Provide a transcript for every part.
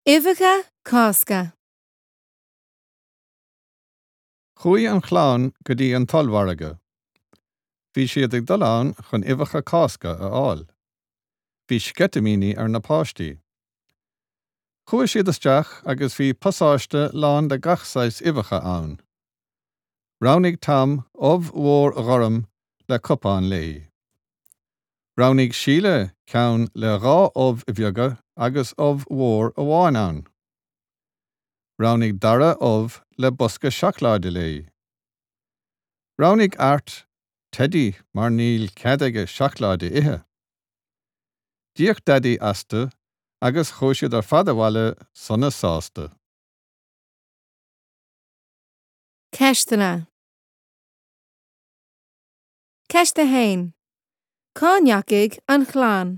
Uibheacha Cásca. Chuaigh an chlann go dtí an t-ollmhargadh. Bhí siad ag dul ann chun uibheacha Cásca a fháil. Bhí sceitimíní ar na páistí. Chuaigh siad isteach agus bhí pasáiste lán de gach saghas uibheacha ann. Roghnaigh Tom ubh mhór ghorm le cupán léi. Roghnaigh Síle ceann le 2 ubh bheaga agus ubh mhór amháin ann. Roghnaigh Dara ubh le bosca seacláide léi. Roghnaigh Art teidí mar níl cead aige seacláid a ithe. D'íoc Daidí astu agus chuaigh siad ar fad abhaile sona sásta. Ceisteanna. Ceist 1. Cá ndeachaigh an chlann?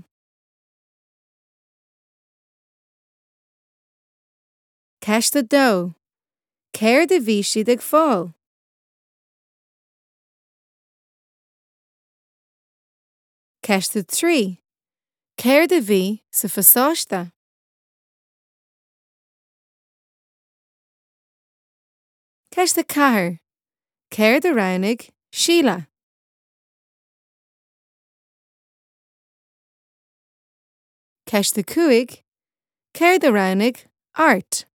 Ceist 2. Céard a bhí siad ag fáil? Ceist 3. Céard a bhí sa phasáiste? Ceist 4. Céard a roghnaigh Síle? Ceist 5. Céard a roghnaigh Art?